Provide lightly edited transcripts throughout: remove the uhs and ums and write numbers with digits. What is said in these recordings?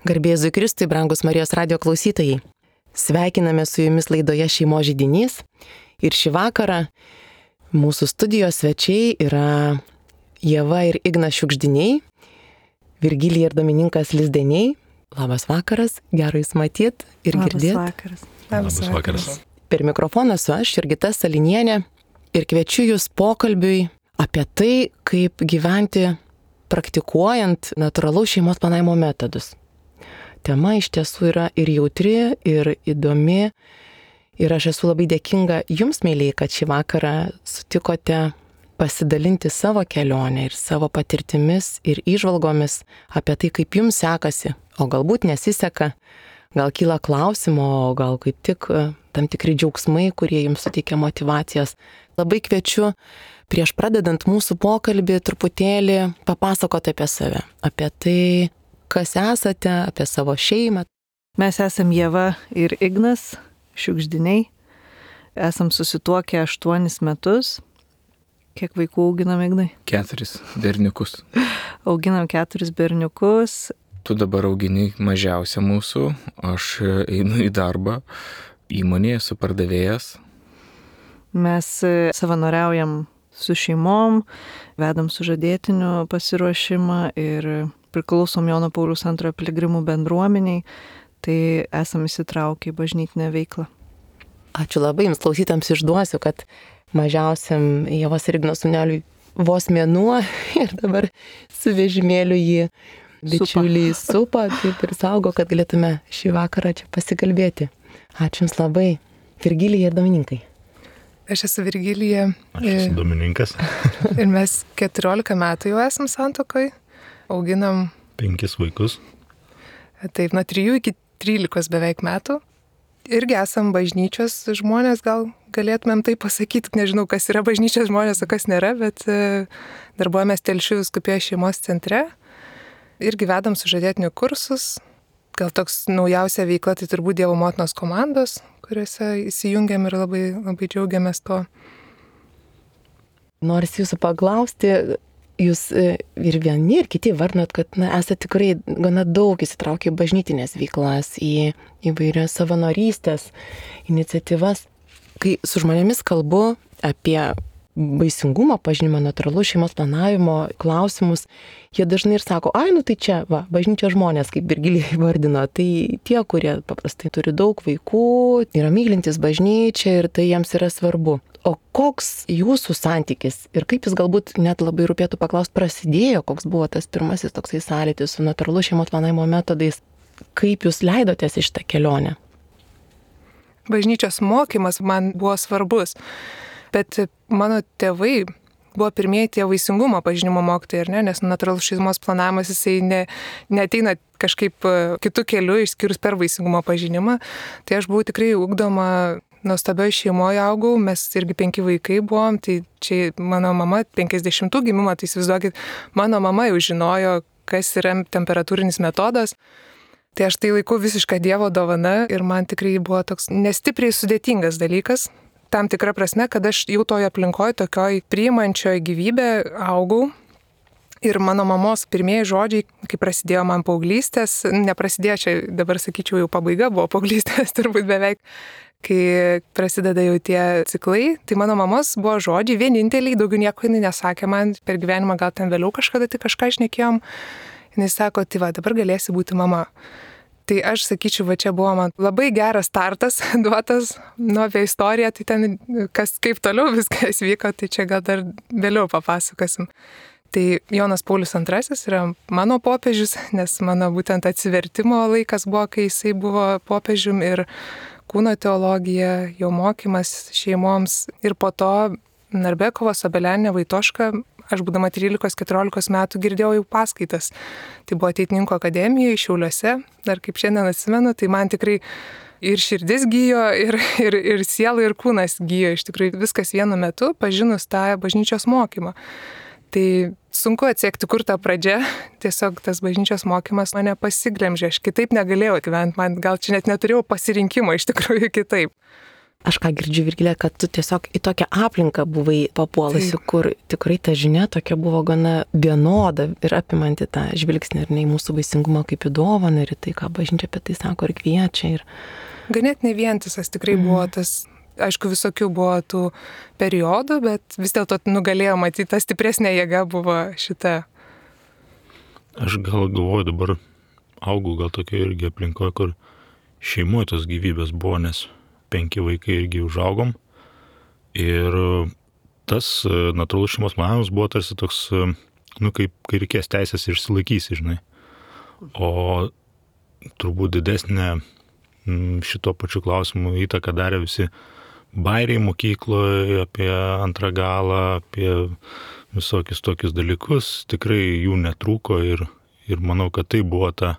Garbėzui Kristui, brangus Marijos radijo klausytojai. Sveikiname su jumis laidoje Šeimos židinys. Ir šį vakarą mūsų studijos svečiai yra Ieva ir Ignas Šiugždiniai, Virgilija ir Domininkas Lizdeniai. Labas vakaras, gero jūs matyt ir girdėt. Labas vakaras. Per mikrofoną esu aš, Jurgita Salinienė, ir kviečiu jūs pokalbiui apie tai, kaip gyventi praktikuojant natūralaus šeimos planavimo metodus. Tema iš tiesų yra ir jautri, ir įdomi. Ir aš esu labai dėkinga jums, mėlyje, kad šį vakarą sutikote pasidalinti savo kelionę ir savo patirtimis ir įžvalgomis apie tai, kaip jums sekasi. O galbūt nesiseka, gal kyla klausimo, o gal kaip tik tam tikri džiaugsmai, kurie jums suteikia motyvacijas. Labai kviečiu prieš pradedant mūsų pokalbį truputėlį papasakoti apie save, apie tai, kas esate, apie savo šeimą. Mes esam Ieva ir Ignas Šiugždiniai. Esam susituokę 8 metus. Kiek vaikų auginam, Ignai? 4 berniukus. Auginam 4 berniukus. Tu dabar augini mažiausią mūsų. Aš einu į darbą. Įmonėje esu pardavėjas. Mes savanoriaujam su šeimom, vedam sužadėtinių pasiruošimą ir priklausom Jono Pauliaus II piligrimų bendruomeniai, tai esam įsitraukę į bažnytinę veiklą. Ačiū labai, jums klausytams išduosiu, kad mažiausiam Ievos ir Igno sūneliui vos mėnuo ir dabar su vežimėliu jį bičiuliai supa, taip ir saugo, kad galėtume šį vakarą čia pasikalbėti. Ačiū jums labai. Virgilija ir Domininkai. Aš esu Virgilija. Aš esu Domininkas. Ir mes 14 metų jau esam santuokoj. Auginam 5 vaikus. Taip, nuo 3 iki 13 beveik metų. Irgi esam bažnyčios žmonės, gal galėtumėm tai pasakyti. Nežinau, kas yra bažnyčios žmonės, o kas nėra, bet darbuojamės Telšių vyskupijos šeimos centre. Irgi vedam sužadėtinių kursus. Gal toks naujausia veikla, tai turbūt Dievo motinos komandos, kuriuose įsijungiam ir labai, labai džiaugiamės to. Norisi jūsų paklausti, jūs ir vieni, ir kiti vardinat, kad esate tikrai gana daug įsitraukę į bažnytinės veiklas, į įvairias savanorystės iniciatyvas. Kai su žmonėmis kalbu apie vaisingumo pažinimą, natūralaus šeimos planavimo klausimus, jie dažnai ir sako, tai čia, bažnyčios žmonės, kaip Virgilija įvardino, tai tie, kurie paprastai turi daug vaikų, yra mylintys bažnyčią ir tai jiems yra svarbu. O koks jūsų santykis ir kaip jis galbūt net labai rūpėtų paklausti prasidėjo, koks buvo tas pirmasis toksai sąlytis su natūralaus šeimos planavimo metodais, kaip jūs leidotės į šitą kelionę? Bažnyčios mokymas man buvo svarbus, bet mano tėvai buvo pirmieji tie vaisingumo pažinimo mokytojai, nes natūralus šeimos planavimas jisai neateina kažkaip kitų kelių išskyrus per vaisingumo pažinimą. Tai aš buvau tikrai ugdoma nuostabioje šeimoje augau, mes irgi 5 vaikai buvom, tai čia mano mama 50 gimimo, tai įsivaizduokit, mano mama jau žinojo, kas yra temperatūrinis metodas. Tai aš tai laikau visišką Dievo dovana ir man tikrai buvo toks nestipriai sudėtingas dalykas. Tam tikra prasme, kad aš jau toje aplinkoje, tokioj priimančioje gyvybę augau. Ir mano mamos pirmieji žodžiai, kai prasidėjo man paauglystės, neprasidėjo, čia dabar sakyčiau jau pabaiga buvo paauglystės turbūt beveik, kai prasideda jau tie ciklai, tai mano mamos buvo žodžiai vieninteliai, daugiau nieko jinai nesakė man per gyvenimą, gal ten vėliau kažkada tai kažką šnekėjom. Jinai sako, tai dabar galėsi būti mama. Tai aš sakyčiau, čia buvo man labai geras startas duotas, apie istoriją, tai ten kaip toliau viskas vyko, tai čia gal dar vėliau papasakosim. Tai Jonas Paulius II yra mano popiežius, nes mano būtent atsivertimo laikas buvo, kai jisai buvo popiežium ir kūno teologija, jo mokymas šeimoms ir po to Narbekovas, Obelianė, Vaitoška. Aš būdama 13-14 metų girdėjau jau paskaitas. Tai buvo Ateitininkų akademijoje Šiauliuose, dar kaip šiandien atsimenu, tai man tikrai ir širdis gijo, ir siela, ir kūnas gijo. Iš tikrųjų viskas vienu metu, pažinus tą bažnyčios mokymą. Tai sunku atsekti, kur ta pradžia, tiesiog tas bažnyčios mokymas mane pasiglemžė, aš kitaip negalėjau gyventi, man gal čia net neturėjau pasirinkimo iš tikrųjų kitaip. aš ką girdžiu, Virgilė, kad tu tiesiog į tokią aplinką buvai papuolusi, kur tikrai ta žinia tokia buvo gana vienoda ir apimanti tą žvilgsnį ir ne į mūsų vaisingumą kaip į dovaną ir į tai, ką bažnyčia apie tai sako ir kviečia. Ganėtinai vientisas tikrai buvo tas, aišku, visokių buvo tų periodų, bet vis dėlto nugalėjo matyti, ta stipresnė jėga buvo šita. Aš gal galvoju, dabar augau gal tokia irgi aplinkoje, kur šeimoje tos gyvybės buvo, nes 5 vaikai irgi užaugom. Ir tas natūralus šeimos planavimas buvo tarsi toks, kaip kai reikės teisės išsilaikysi, žinai. O turbūt didesnė šito pačiu klausimu įtaką darė visi bairiai mokykloje apie antrą galą, apie visokius tokius dalykus. Tikrai jų netrūko ir manau, kad tai buvo ta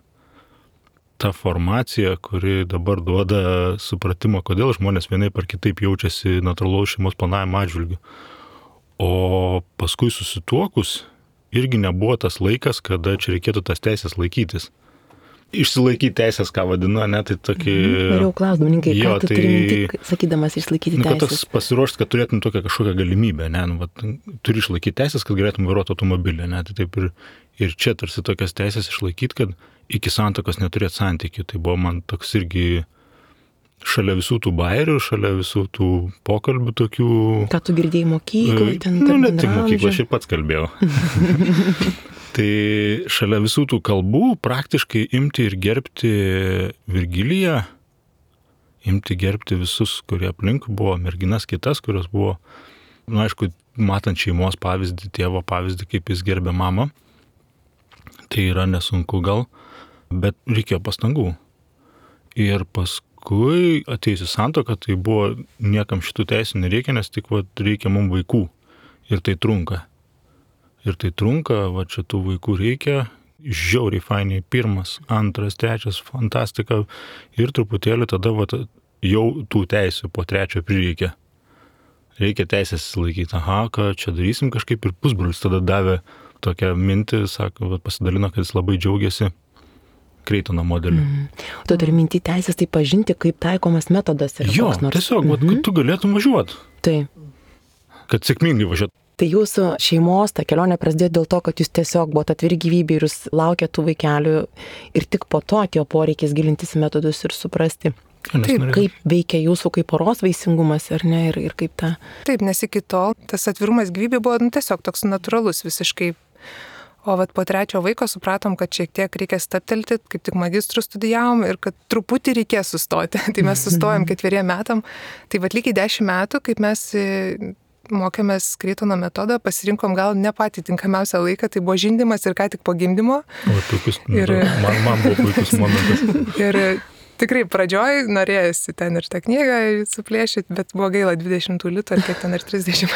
formacija, kuri dabar duoda supratimą, kodėl žmonės vienaip ar kitaip jaučiasi natūralaus šeimos planavimo atžvilgiu. O paskui susituokus irgi nebuvo tas laikas, kada čia reikėtų tas teisės laikytis. Išsilaikyti teisės, ką vadinu, ne, tai tokį... Norėjau klausdamininkai, ką tu turi minti, sakydamas išlaikyti teisės? Kad tas pasiruošti, kad turėtum tokią kažkokią galimybę, ne, turi išlaikyti teisės, kad galėtum vairuoti automobilį, ne, tai taip ir čia tarsi tokias teisės išlaikyti, kad iki santuokos neturėti santykių. Tai buvo man toks irgi šalia visų tų bairių, šalia visų tų pokalbių tokių... Ką tu girdėjai mokyklai, ten ne tik mokyklai, aš ir pats kalbėjau. Tai šalia visų tų kalbų praktiškai imti ir gerbti Virgiliją, imti gerbti visus, kurie aplink buvo, merginas kitas, kurios buvo, aišku, matant šeimos pavyzdį, tėvo pavyzdį, kaip jis gerbė mamą. Tai yra nesunku gal, bet reikėjo pastangų. Ir paskui atėjusi santuoka, tai buvo niekam šitų teisų nereikia, nes tik reikia mums vaikų. Ir tai trunka. Čia tų vaikų reikia, žiauriai fainiai, 1, 2, 3, fantastika. Ir truputėlį tada jau tų teisių po 3 prireikia. Reikia teisės laikyti, ką čia darysim kažkaip, ir pusbrolis tada davė tokią mintį, sako, pasidalino, kad jis labai džiaugiasi Kreitono modeliu. Tu turi mintį teisės tai pažinti, kaip taikomas metodas. Jo, tiesiog, kad tu galėtum važiuoti. Taip. Kad sėkmingai važiuoti. Tai jūsų šeimos ta kelionė prasidėjo dėl to, kad jūs tiesiog buvote atviri gyvybei ir jūs laukėte tų vaikelių ir tik po to atėjo poreikis gilintis į metodus ir suprasti, kaip veikia jūsų kaip poros vaisingumas, ar ne, ir kaip ta... Taip, nes iki tol tas atvirumas gyvybė buvo tiesiog toks natūralus visiškai. O po 3 vaiko supratom, kad šiek tiek reikia stabtelti, kaip tik magistrų studijavom ir kad truputį reikės sustoti. Tai mes sustojom 4 metam. Tai lygiai 10 metų, kaip mes mokėmės Kreitono metodą, pasirinkom gal ne patį tinkamiausią laiką, tai buvo žindymas ir ką tik po gimdymo. Man buvo puikus momentas. Ir tikrai pradžioj norėjusi ten ir tą knygą suplėšyti, bet buvo gaila 20 litų, ar kiek ten ir 30.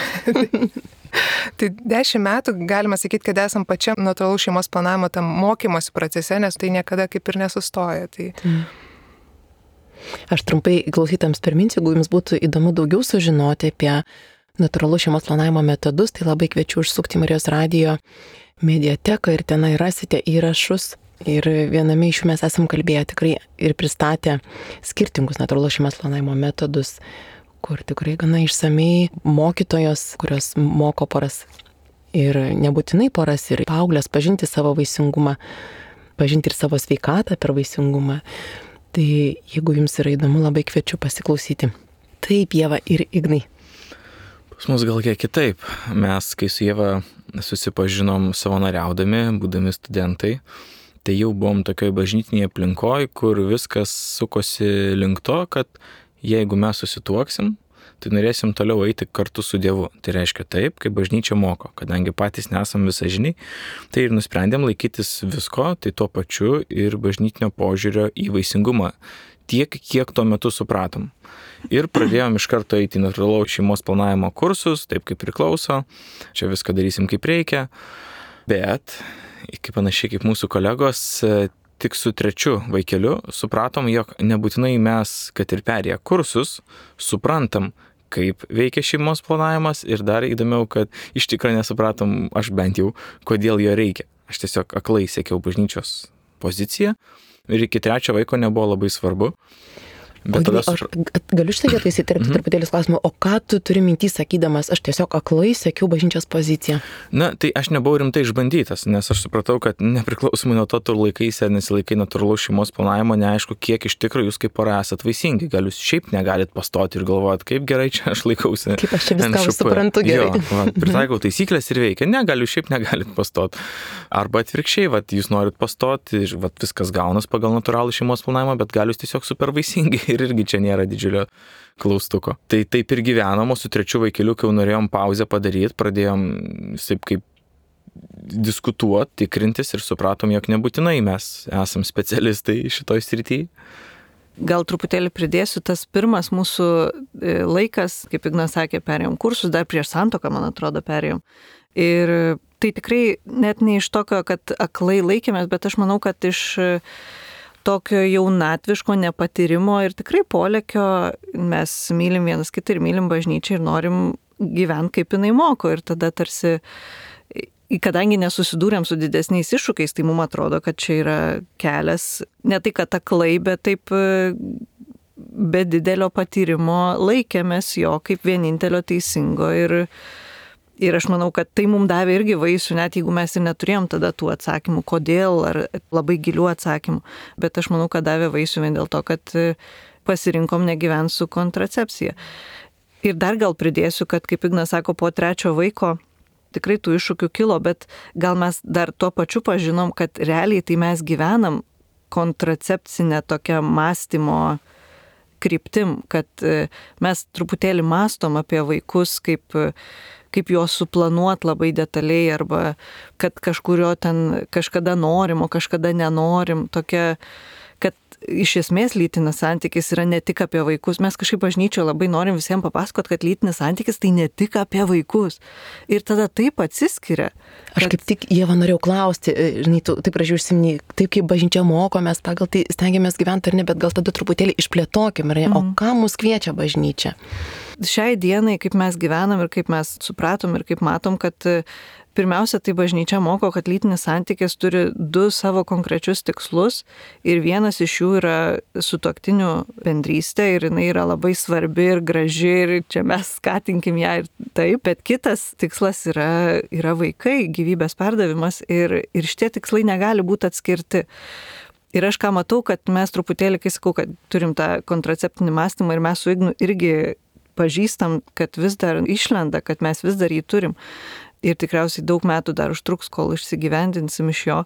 Tai 10 metų galima sakyti, kad esam pačiam natūralaus šeimos planavimo tam mokymosi procese, nes tai niekada kaip ir nesustoja. Tai... Aš trumpai klausytams priminsiu, jeigu jums būtų įdomu daugiau sužinoti apie natūralaus šeimos planavimo metodus, tai labai kviečiu užsukti Marijos radijo mediateką ir tenai rasite įrašus. Ir viename iš jų mes esam kalbėję tikrai ir pristatę skirtingus natūralaus šeimos planavimo metodus, kur tikrai gana išsamei mokytojos, kurios moko poras ir nebūtinai poras ir paauglės pažinti savo vaisingumą, pažinti ir savo sveikatą per vaisingumą. Tai jeigu jums yra įdomu, labai kviečiu pasiklausyti. Taip, Ieva ir Ignai. Pas mus gal kiek kitaip. Mes, kai su Ieva susipažinom savanoriaudami, būdami studentai, tai jau buvom tokioj bažnytinėje aplinkoje, kur viskas sukosi link to, kad jeigu mes susituoksim, tai norėsim toliau eiti kartu su Dievu. Tai reiškia taip, kaip bažnyčia moko, kadangi patys nesam visažiniai, tai ir nusprendėm laikytis visko, tai tuo pačiu ir bažnytinio požiūrio į vaisingumą, tiek, kiek tuo metu supratom. Ir pradėjom iš karto eiti į natūralaus šeimos planavimo kursus, taip kaip priklauso, čia viską darysim kaip reikia, bet, kaip panašiai kaip mūsų kolegos, tik su 3 vaikeliu supratom, jog nebūtinai mes, kad ir perėję kursus, suprantam, kaip veikia šeimos planavimas ir dar įdomiau, kad iš tikrųjų nesupratom, aš bent jau, kodėl jo reikia. Aš tiesiog aklai siekiau bažnyčios poziciją ir iki 3 vaiko nebuvo labai svarbu. Bet tada galiu šitą vietą įsiterpti truputėlį klausimą, o ką tu turi mintį sakydamas, aš tiesiog aklai sekiau bažnyčios poziciją? Na, tai aš nebuvau rimtai išbandytas, nes aš supratau, kad nepriklausomai nuo to, tu laikaisi ar nesilaikai natūralaus šeimos planavimo, neaišku, kiek iš tikrųjų jūs kaip pora esat vaisingi. Gal jūs šiaip negalit pastoti ir galvojat, kaip gerai čia aš laikausi. Kaip aš čia viską suprantu gerai. Jo, pritaikau taisyklės ir veikia. Ne, gal jūs šiaip negalit pastoti. Arba atvirkščiai, jūs norit pastoti ir viskas gaunas pagal natūralų šeimos planavimą, bet gal jūs tiesiog super vaisingi. Ir irgi čia nėra didžiulio klaustuko. Tai taip ir gyvenom, o su trečiu vaikeliu, kai jau norėjom pauzę padaryti, pradėjom taip kaip diskutuoti, tikrintis ir supratom, jog nebūtinai mes esam specialistai šitoj srityje. Gal truputėlį pridėsiu, tas pirmas mūsų laikas, kaip Ignas sakė, perėjom kursus, dar prieš santuoką, man atrodo, perėjom. Ir tai tikrai net ne iš tokio, kad aklai laikėmės, bet aš manau, kad iš tokio jaunatviško nepatyrimo ir tikrai polėkio mes mylim vienas kitą ir mylim bažnyčią ir norim gyventi kaip jinai moko. Ir tada tarsi, kadangi nesusidūrėm su didesniais iššūkiais, tai mums atrodo, kad čia yra kelias, ne tai kad aklai, bet taip be didelio patyrimo laikėmės jo kaip vienintelio teisingo. Ir aš manau, kad tai mums davė irgi vaisių, net jeigu mes ir neturėjom tada tų atsakymų, kodėl, ar labai gilių atsakymų. Bet aš manau, kad davė vaisių vien dėl to, kad pasirinkom negyventi su kontracepcija. Ir dar gal pridėsiu, kad, kaip Ignas sako, po trečio vaiko tikrai tų iššūkių kilo, bet gal mes dar tuo pačiu pažinom, kad realiai tai mes gyvenam kontracepcinę tokią mąstymo kryptim, kad mes truputėlį mąstom apie vaikus kaip juos suplanuot labai detaliai arba kad kažkurio ten kažkada norim, o kažkada nenorim. Tokia, kad iš esmės lytinis santykis yra ne tik apie vaikus. Mes kažkaip bažnyčioje labai norim visiems papasakot, kad lytinis santykis tai ne tik apie vaikus. Ir tada taip atsiskiria. Aš kaip tik, Ieva, norėjau klausti, žinai, tu taip gražiai užsiminei, taip kaip bažnyčia moko, mes pagal tai stengiamės gyventi ar ne, bet gal tada truputėlį išplėtokim, ar ne? O ką mus kviečia bažnyčia? Šiai dienai, kaip mes gyvenam ir kaip mes supratom ir kaip matom, kad pirmiausia, tai bažnyčia moko, kad lytinis santykis turi du savo konkrečius tikslus ir vienas iš jų yra sutuoktinių bendrystė ir jinai yra labai svarbi ir graži ir čia mes skatinkim ją ir taip, bet kitas tikslas yra vaikai, gyvybės perdavimas ir šitie tikslai negali būti atskirti. Ir aš ką matau, kad mes truputėlį, kai sakau, kad turim tą kontraceptinį mąstymą ir mes su Ignu irgi pažįstam, kad vis dar išlenda, kad mes vis dar jį turim. Ir tikriausiai daug metų dar užtruks, kol išsigyvendinsim iš jo.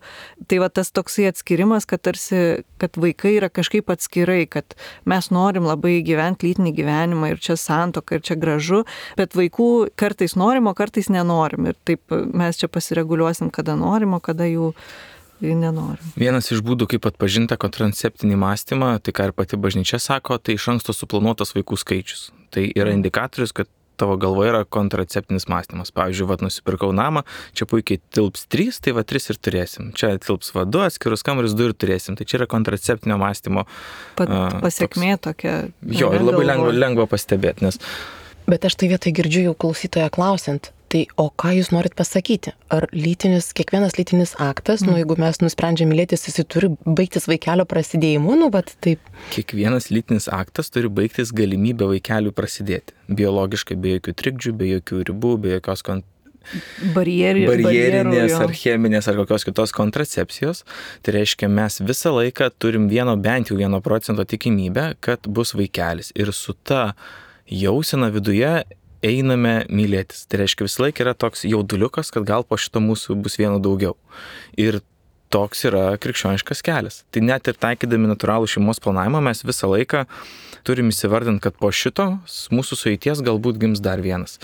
Tai va tas toksai atskirimas, kad tarsi, kad vaikai yra kažkaip atskirai, kad mes norim labai gyventi lytinį gyvenimą ir čia santuoka ir čia gražu, bet vaikų kartais norim, o kartais nenorim. Ir taip mes čia pasireguliuosim, kada norim, o kada jų nenorim. Vienas iš būdų, kaip atpažinti kontraceptinį mąstymą, tai ką ir pati bažnyčia sako, tai iš anksto suplanuotas vaikų skaičius. Tai yra indikatorius, kad tavo galvoje yra kontraceptinis mąstymas. Pavyzdžiui, nusipirkau namą, čia puikiai tilps 3, tai 3 ir turėsim. Čia tilps 2, atskirus kambarius 2 ir turėsim. Tai čia yra kontraceptinio mąstymo pasiekmė tokia. Jo, ir labai lengva pastebėti, nes... Bet aš tai vietoj girdžiu jau klausytoją klausiant, tai o ką jūs norit pasakyti? Ar kiekvienas lytinis aktas, jeigu mes nusprendžiam mylėtis, jis turi baigtis vaikelio prasidėjimu, bet taip. Kiekvienas lytinis aktas turi baigtis galimybę vaikeliui prasidėti. Biologiškai, be jokių trikdžių, be jokių ribų, be jokios barjerinės ar cheminės ar kokios kitos kontracepcijos. Tai reiškia, mes visą laiką turim bent jau 1% tikimybę, kad bus vaikelis. Ir su ta jausena viduje einame mylėtis. Tai reiškia, visą laiką yra toks jauduliukas, kad gal po šito mūsų bus vieno daugiau. Ir toks yra krikščioniškas kelias. Tai net ir taikydami natūralų šeimos planavimą mes visą laiką turim įsivardinti, kad po šito mūsų sueities galbūt gims dar vienas.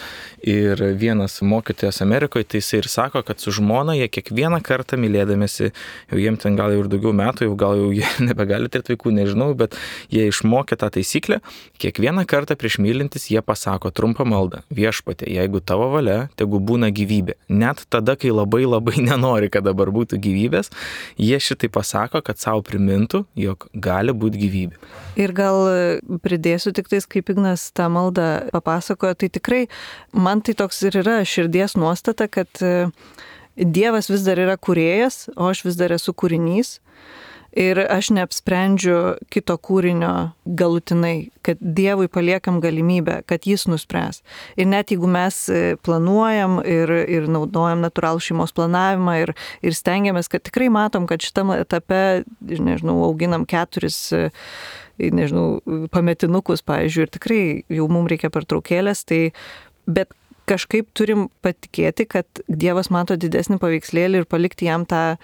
Ir vienas mokytojas Amerikoje, tai jisai ir sako, kad su žmona jie kiekvieną kartą mylėdamėsi, jau jiem ten gal jau ir daugiau metų, gal jau jie nebegali turėti vaikų, nežinau, bet jie išmokė tą taisyklę, kiekvieną kartą prieš mylintis jie pasako trumpą maldą: Viešpatie, jeigu tavo valia, tegu būna gyvybė. Net tada, kai labai nenori, kad dabar būtų gyvybės, jie šitai pasako, kad savo primintų, jog gali būti gyvybė. Ir gal pridėsiu tik tais, kaip Ignas tą maldą papasakojo, tai tikrai man tai toks ir yra širdies nuostata, kad Dievas vis dar yra kūrėjas, o aš vis dar esu kūrinys. Ir aš neapsprendžiu kito kūrinio galutinai, kad Dievui paliekam galimybę, kad jis nuspręs. Ir net jeigu mes planuojam ir naudojam natūralų šeimos planavimą ir stengiamės, kad tikrai matom, kad šitam etape, nežinau, auginam 4 pametinukus, pavyzdžiui, ir tikrai jau mums reikia pertraukėlės, bet kažkaip turim patikėti, kad Dievas mato didesnį paveikslėlį ir palikti jam tą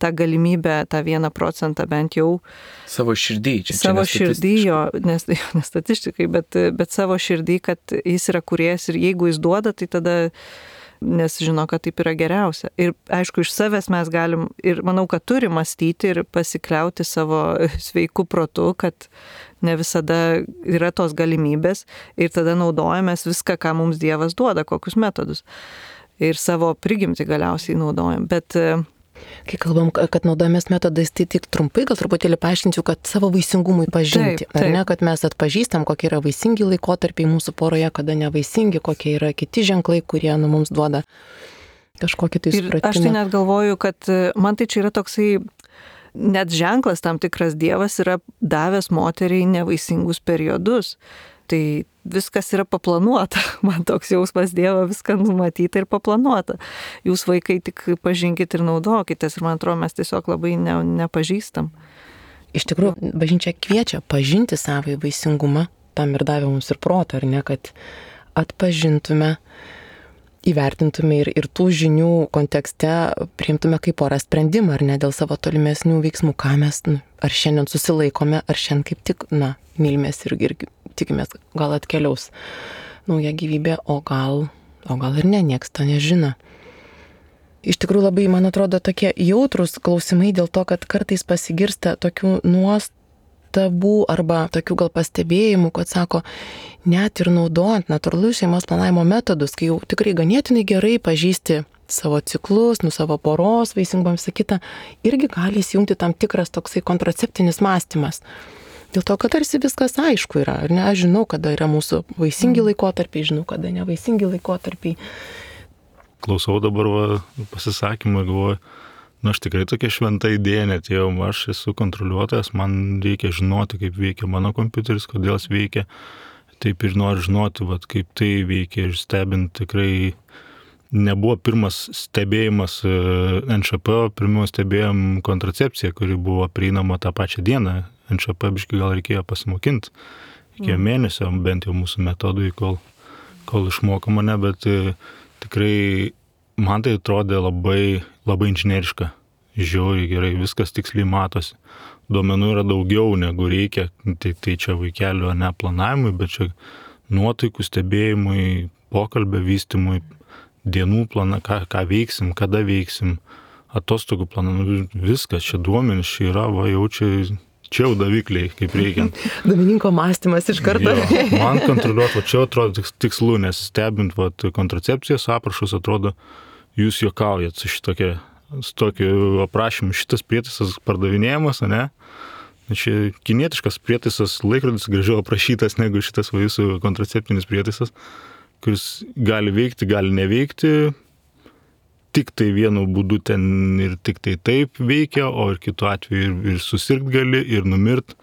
galimybę, tą 1% bent jau. Savo širdį. Savo širdį, jo, nes statistikai, bet savo širdį, kad jis yra kūrėjas ir jeigu jis duoda, tai tada, nes žino, kad taip yra geriausia. Ir aišku, iš savęs mes galim, ir manau, kad turi mąstyti ir pasikliauti savo sveiku protu, kad ne visada yra tos galimybės ir tada naudojamės viską, ką mums Dievas duoda, kokius metodus. Ir savo prigimtį galiausiai naudojam. Bet kai kalbam, kad naudojamės metodais, tai tik trumpai gal truputėlį paaiškinsiu, kad savo vaisingumui pažinti. Taip. Ar ne, kad mes atpažįstam, kokie yra vaisingi laikotarpiai mūsų poroje, kada nevaisingi, kokie yra kiti ženklai, kurie mums duoda kažkokį tai supratimą. Ir aš tai net galvoju, kad man tai čia yra toksai net ženklas tam tikras, Dievas yra davęs moteriai nevaisingus periodus. Tai viskas yra paplanuota. Man toks jausmas, Dievo viską numatyta ir paplanuota. Jūs vaikai tik pažinkit ir naudokitės. Ir man atrodo, mes tiesiog labai nepažįstam. Iš tikrųjų, bažnyčia kviečia pažinti savo vaisingumą. Tam ir davė mums ir protą, ar ne, kad atpažintume, įvertintume ir tų žinių kontekste priimtume kaip porą sprendimą, ar ne, dėl savo tolimesnių veiksmų, ką mes, ar šiandien susilaikome, ar šiandien kaip tik, mylimės ir tikimės, gal atkeliaus nauja gyvybė, o gal ir ne, nieks to nežino. Iš tikrųjų labai, man atrodo, tokie jautrus klausimai dėl to, kad kartais pasigirsta tokių nuostabų arba tokių gal pastebėjimų, kad sako, net ir naudojant natūralų šeimos planavimo metodus, kai jau tikrai ganėtinai gerai pažįsti savo ciklus, savo poros, vaisingumą visą kitą, irgi gali įsijungti tam tikras toksai kontraceptinis mąstymas. Dėl to, kad tarsi viskas aišku yra, ar ne? Aš žinau, kada yra mūsų vaisingi laikotarpiai, žinau, kada nevaisingi laikotarpiai. Klausau dabar pasisakymą, galvoju, aš tikrai tokia šventa idėja netėjau, aš esu kontroliuotojas, man reikia žinoti, kaip veikia mano kompiuteris, kodėl jis veikia, taip ir noriu žinoti, kaip tai veikia ir stebint tikrai. Nebuvo pirmas stebėjimas NŠP, pirmiau stebėjom kontracepciją, kuri buvo prieinama tą pačią dieną. NŠP biškai gal reikėjo pasimokinti, reikėjo mėnesio, bent jau mūsų metodui, kol išmoko mane, bet tikrai man tai atrodė labai, labai inžineriška, žiauriai gerai, viskas tiksliai matosi. Duomenų yra daugiau negu reikia, tai čia vaikelio neplanavimui, bet čia nuotaikų stebėjimui, pokalbio vystymui, dienų planą, ką veiksim, kada veiksim, atostogų planą, viskas, čia duomenys, čia yra, čia jau davikliai, kaip reikiant. Domininko mąstymas iš karto. Jo, man kontroliuoti, čia atrodo tikslu, nes stebint kontracepcijos aprašus, atrodo, jūs juokaujat su tokiu aprašymu, šitas prietaisas pardavinėjamas, ne? Čia kinietiškas prietaisas, laikrodis gražiau aprašytas negu šitas jūsų kontraceptinis prietaisas, kuris gali veikti, gali neveikti, tik tai vienu būdu ten ir tik tai taip veikia, o ir kitu atveju ir susirgt gali, ir numirt.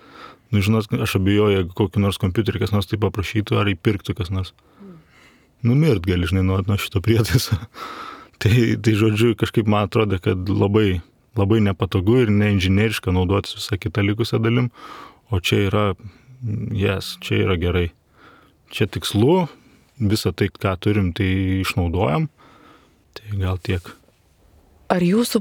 Žinot, aš abejoju, jeigu kokį nors kompiuterį kas nors taip paprašytų, ar įpirktų kas nors. Numirt gali, nuo šito prietaiso. Tai žodžiu, kažkaip man atrodo, kad labai, labai nepatogu ir neinžineriška naudotis visą kitą likusią dalim, o čia yra gerai. Čia tikslu, visą tai, ką turim, tai išnaudojam. Tai gal tiek. Ar jūsų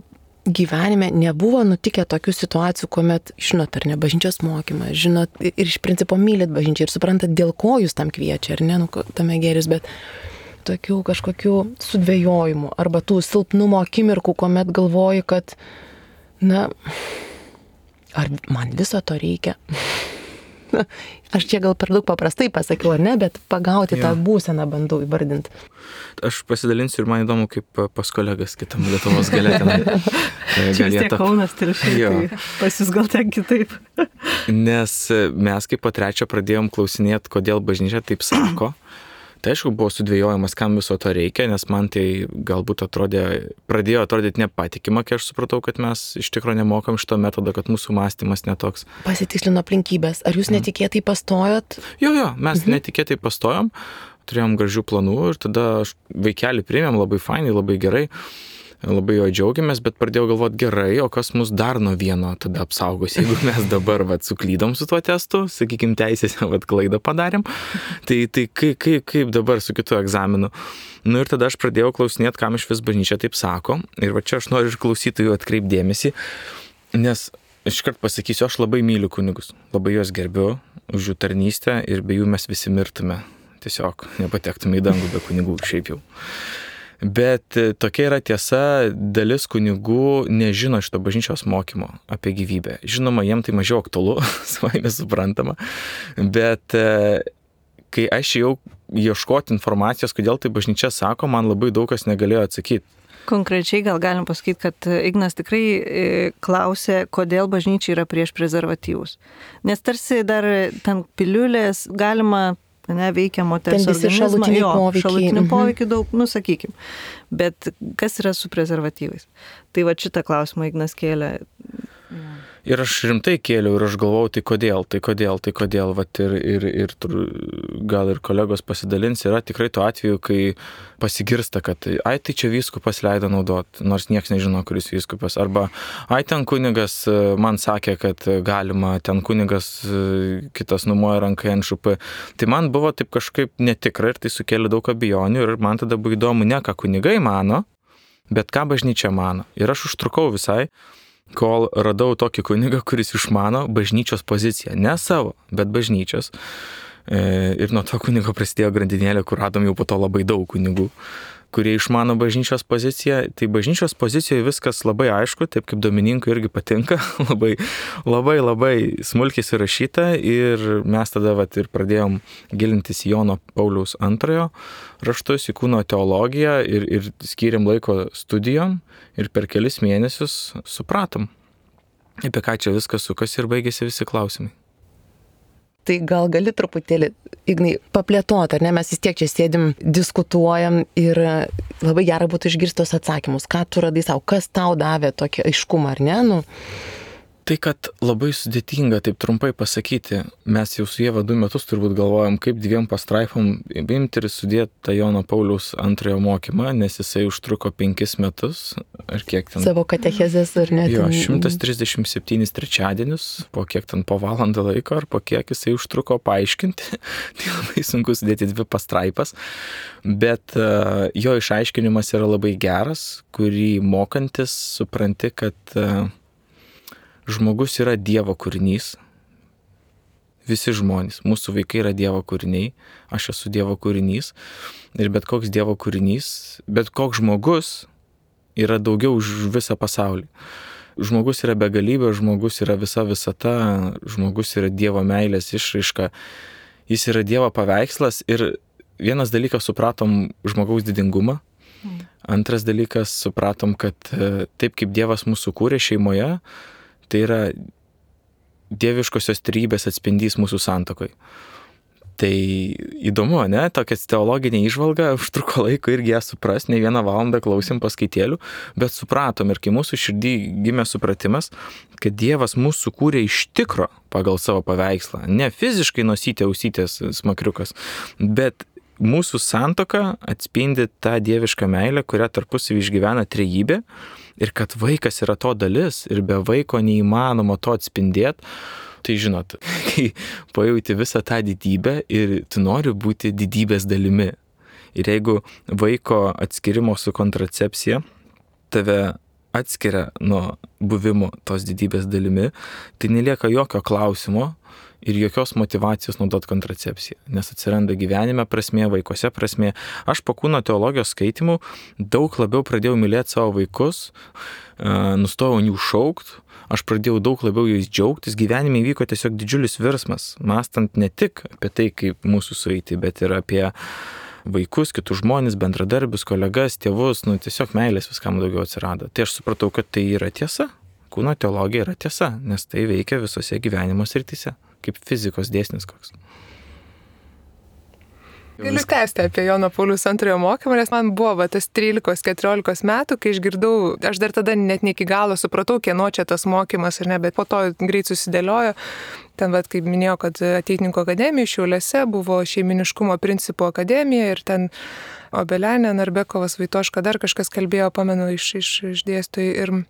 gyvenime nebuvo nutikę tokių situacijų, kuomet, žinot, ar ne, bažnyčios mokymą, žinot, ir iš principo mylit bažnyčią ir suprantat, dėl ko jūs tam kviečia, ar ne, tame geris, bet tokių kažkokių sudvejojimų arba tų silpnumo akimirkų, kuomet galvoji, kad, ar man viso to reikia? Aš čia gal per daug paprastai pasakiau, ar ne, bet pagauti tą būseną bandau įvardinti. Aš pasidalinsiu ir man įdomu, kaip pas kolegas kitam Lietuvos gale tenai. Čia vis tiek Kaunas Telšiai, tai pas jūs gal ten kitaip. Nes mes kaip po 3 pradėjom klausinėti, kodėl bažnyčia taip sako. Tai aišku, buvo sudvėjojimas, kam viso to reikia, nes man tai galbūt pradėjo atrodyti nepatikima, kai aš supratau, kad mes iš tikrųjų nemokam šito metodo, kad mūsų mąstymas netoks. Pasitikslino aplinkybės. Ar jūs netikėtai pastojot? Jo, mes netikėtai pastojom, turėjom gražių planų ir tada vaikelį priėmėm labai fainai, labai gerai. Labai jo džiaugiamės, bet pradėjau galvoti gerai, o kas mus dar nuo vieno tada apsaugos, jeigu mes dabar suklydom su tuo testu, sakykime, teisėse klaidą padarėm, tai kaip dabar su kitu egzaminu. Nu ir tada aš pradėjau klausinėti, kam iš vis bažnyčia taip sako, ir čia aš noriu iš klausytojų atkreipdėmėsi, nes iškart pasakysiu, aš labai myliu kunigus, labai juos gerbiu už jų tarnystę ir be jų mes visi mirtume, tiesiog nepatektume į dangų be kunigų šiaip jau. Bet tokia yra tiesa, dalis kunigų nežino šito bažnyčios mokymo apie gyvybę. Žinoma, jiem tai mažiau aktualu, savaime suprantama, bet kai aš jau ieškoti informacijos, kodėl tai bažnyčia sako, man labai daug kas negalėjo atsakyti. Konkrečiai gal galim pasakyti, kad Ignas tikrai klausė, kodėl bažnyčia yra prieš prezervatyvus. Nes tarsi dar ten piliulės galima veikia moters organizmą, šalutinių poveikių daug, sakykim. Bet kas yra su prezervatyvais? Tai šitą klausimą Ignas kėlė. Ir aš rimtai kėliau ir aš galvojau, tai kodėl, ir gal ir kolegos pasidalins, yra tikrai tuo atveju, kai pasigirsta, kad tai čia vyskupas leido naudot, nors nieks nežino, kuris vyskupas, arba ten kunigas man sakė, kad galima, ten kunigas kitas numoja ranką NŠP. Tai man buvo taip kažkaip netikra ir tai sukėlė daug abejonių ir man tada buvo įdomu ne ką kunigai mano, bet ką bažnyčia mano. Ir aš užtrukau visai, kol radau tokį kunigą, kuris išmano bažnyčios poziciją. Ne savo, bet bažnyčios. Ir nuo to kunigo prasidėjo grandinėlė, kur radom jau po to labai daug kunigų, kurie išmano bažnyčios poziciją. Tai bažnyčios pozicijoje viskas labai aišku, taip kaip Domininkui irgi patinka, labai smulkiai surašyta. Ir mes tada ir pradėjom gilintis į Jono Pauliaus II raštus, į kūno teologiją ir skyrėm laiko studijom ir per kelis mėnesius supratom, apie ką čia viskas sukasi ir baigėsi visi klausimai. Tai gal gali truputėlį, Ignai, paplėtoti, ar ne? Mes vis tiek čia sėdim, diskutuojam ir labai gerai būtų išgirstos atsakymus. Ką tu radai savo, kas tau davė tokį aiškumą, ar ne? Tai, kad labai sudėtinga taip trumpai pasakyti, mes jau su Ieva 2 metus turbūt galvojam, kaip 2 pastraipom imti ir sudėti tą Jono Pauliaus II mokymą, nes jisai užtruko 5 metus, ar kiek ten. Savo katechezės, ar ne? Jo, 137 trečiadienius, po kiek ten po valandą laiko, ar po kiek jisai užtruko paaiškinti. Tai labai sunku sudėti 2 pastraipas, bet jo išaiškinimas yra labai geras, kurį mokantis supranti, kad žmogus yra Dievo kūrinys. Visi žmonės, mūsų vaikai yra Dievo kūriniai, aš esu Dievo kūrinys ir bet koks Dievo kūrinys, bet koks žmogus yra daugiau už visą pasaulį. Žmogus yra begalybė, žmogus yra visa visata, žmogus yra Dievo meilės išraiška, jis yra Dievo paveikslas ir vienas dalykas supratom žmogaus didingumą, antras dalykas supratom, kad taip kaip Dievas mūsų kūrė šeimoje, tai yra dieviškosios trejybės atspindys mūsų santuokoj. Tai įdomu, ne? Tokia teologinė įžvalga, užtruko laiko irgi ją supras, ne 1 valandą klausėm paskaitėlių, bet supratom ir kai mūsų širdį gimė supratimas, kad Dievas mūsų kūrė iš tikro pagal savo paveikslą, ne fiziškai nosytė, ausytės smakriukas, bet mūsų santuoka atspindi tą dievišką meilę, kurią tarpusavy išgyvena trejybė. Ir kad vaikas yra to dalis ir be vaiko neįmanoma to atspindėti, tai žinot, kai pajauti visą tą didybę ir tu nori būti didybės dalimi. Ir jeigu vaiko atskirimo su kontracepcija tave atskiria nuo buvimo tos didybės dalimi, tai nelieka jokio klausimo ir jokios motivacijos naudot kontracepciją, nes atsiranda gyvenime prasmė, vaikuose prasmė. Aš po kūno teologijos skaitimų daug labiau pradėjau mylėti savo vaikus, nustojau jų šaukt, aš pradėjau daug labiau jais džiaugtis, gyvenime įvyko tiesiog didžiulis virsmas, mąstant ne tik apie tai, kaip mūsų sueiti, bet ir apie vaikus, kitus žmonės, bendradarbius, kolegas, tėvus, tiesiog meilės viskam daugiau atsirado. Tai aš supratau, kad tai yra tiesa. Kūno teologija yra tiesa, nes tai veikia visose gyvenimo srityse, kaip fizikos dėsnis koks. Galiu tęsti apie Jono Pauliaus II mokymą, nes man buvo tas 13-14 metų, kai išgirdau, aš dar tada net ne iki galo supratau, kieno čia tas mokymas ar ne, bet po to greit susidėliojo. Ten, kaip minėjau, kad Ateitininkų akademija Šiauliuose buvo šeiminiškumo principų akademija ir ten Obelenė, Narbekovas, Vaitoška, dar kažkas kalbėjo, pamenu, iš dėstytojų.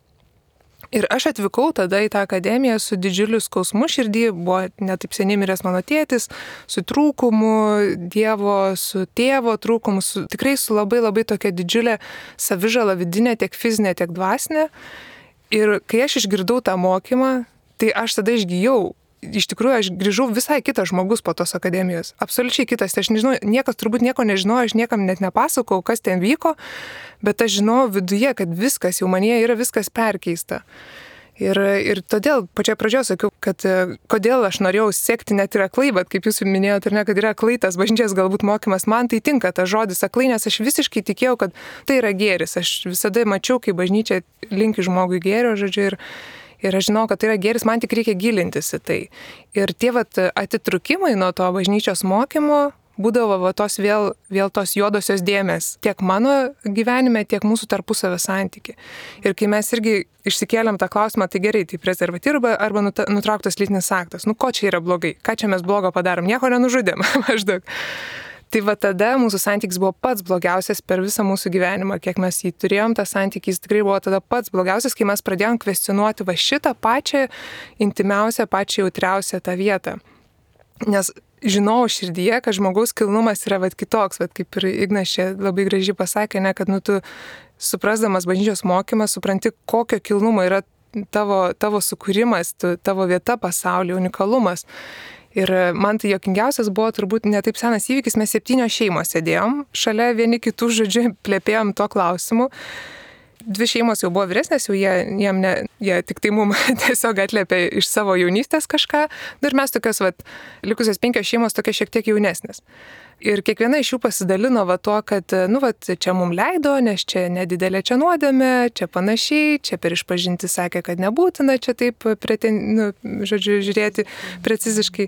Ir aš atvykau tada į tą akademiją su didžiuliu skausmu širdį, buvo netaip seniai miręs mano tėtis, su trūkumu Dievo, su tėvo trūkumu, tikrai su labai labai tokia didžiulė savižala vidinė, tiek fizinė, tiek dvasinė. Ir kai aš išgirdau tą mokymą, tai aš tada išgijau. Iš tikrųjų, aš grįžau visai kitas žmogus po tos akademijos. Absoliučiai kitas. Aš nežinau, niekas turbūt nieko nežinojo, aš niekam net nepasakau, kas ten vyko, bet aš žinau viduje, kad viskas jau manyje yra viskas perkeista. Ir todėl pačioje pradžioje sakiau, kad kodėl aš norėjau sekti net ir aklai, bet kaip jūs minėjote, ar ne, kad yra aklai tas bažnyčios galbūt mokymas, man tai tinka tas žodis aklai, nes aš visiškai tikėjau, kad tai yra gėris. Aš visada mačiau, kaip bažnyčia linki žmogui gėrio, žodžiu, ir aš žinau, kad tai yra gėris, man tik reikia gilintis į tai. Ir tie atitrūkimai nuo to bažnyčios mokymo būdavo tos vėl tos juodosios dėmės tiek mano gyvenime, tiek mūsų tarpusavio santykiai. Ir kai mes irgi išsikėlėm tą klausimą, tai gerai, tai prezervatyva arba nutrauktas lytinis aktas. Ko čia yra blogai? Ką čia mes blogo padarom? Nieko nenužudėm maždaug. Tai tada mūsų santykis buvo pats blogiausias per visą mūsų gyvenimą, kiek mes jį turėjom, tas santykis tikrai buvo tada pats blogiausias, kai mes pradėjom kvestionuoti šitą pačią intimiausią, pačią jautriausią tą vietą. Nes žinau širdyje, kad žmogaus kilnumas yra kitoks, kaip ir Ignas čia labai gražiai pasakė, ne, kad tu suprasdamas bažnyčios mokymą, supranti, kokio kilnumo yra tavo sukūrimas, tavo vieta pasaulyje, unikalumas. Ir man tai jokingiausias buvo turbūt ne taip senas įvykis, mes 7 šeimos sėdėjom, šalia vieni kitų, žodžiu, plėpėjom to klausimu. 2 šeimos jau buvo vyresnės, jau jie tik tai mums tiesiog atliepė iš savo jaunystės kažką, ir mes tokios, likusios 5 šeimos tokia šiek tiek jaunesnės. Ir kiekviena iš jų pasidalino tuo, kad, čia mums leido, nes čia nedidelė čia nuodėmė, čia panašiai, čia per išpažinti sakė, kad nebūtina čia taip, žiūrėti preciziškai.